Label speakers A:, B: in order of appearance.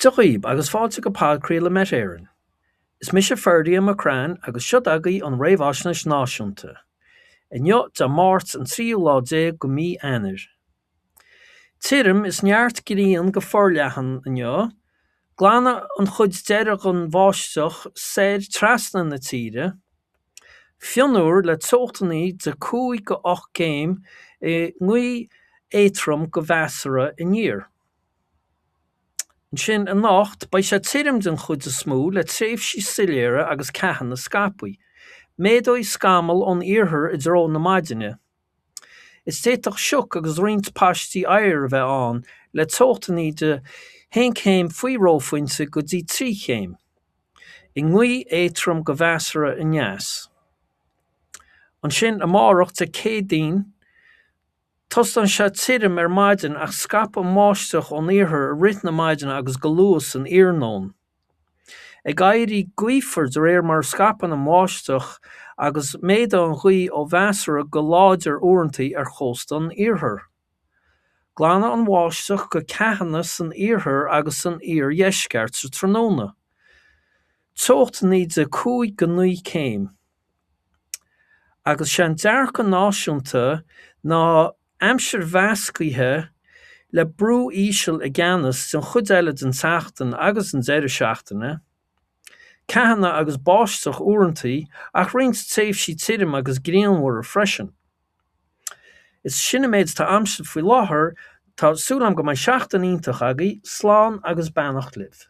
A: Dia dhaoib agus fáilte go podchraoladh Met Éireann. Is mise Ferdia McCrann agus seo agaibh an Réamhaisnéis Náisiúnta. Inniu Dé Máirt an tríú lá déag go mí Eanáir. Tirim is neart grian go forleathan inniu. Glanfaidh an chuid deiridh den bháisteach soir trasna na tíre. Fionnuar le teochtanna de 5 go 8 gcéim i ngaoth éadrom go mheasartha aniar. Ansin anocht, beidh sé tirim den chuid is mó le tréimhsí soiléire agus ceathanna scaipthe. Méadóidh scamaill ón iarthar i dtreo na maidine. Is d'fhéadfadh sioc agus roinnt paistí oighir a bheith ann le teochtanna de 1 céim faoi reophointe go dtí 3 chéim. I ngaoth éadrom go mheasartha aneas. Ansin amárach, Dé Céadaoin, Tosóidh sé tirim ar maidin ach scaipfidh an bháisteach ón iarthar i rith na maidine agus go luath san iarnóin. Ag éirí gaofar de réir mar a scaipeann an bháisteach agus méadóidh an ghaoth ó mheasartha go láidir uaireanta ar chósta an iarthair. Glanfaidh an bháisteach go ceathanna san iarthar agus san iardheisceart sa tráthnóna. Teochtanna de 5 go 9 céim. Agus sé an dearcadh náisiúnta ná aimsir mheascaithe le brú íseal i gceannas den chuid eile den tseachtain agus an deireadh seachtaine. Ceathanna agus báisteach uaireanta ach roinnt tréimhsí tirim agus grianmhara freisin. Is sin an méid atá a'msa faoi láthair, tá súil a'm go mbeidh seachtain iontach agaibh, slán agus beannacht libh.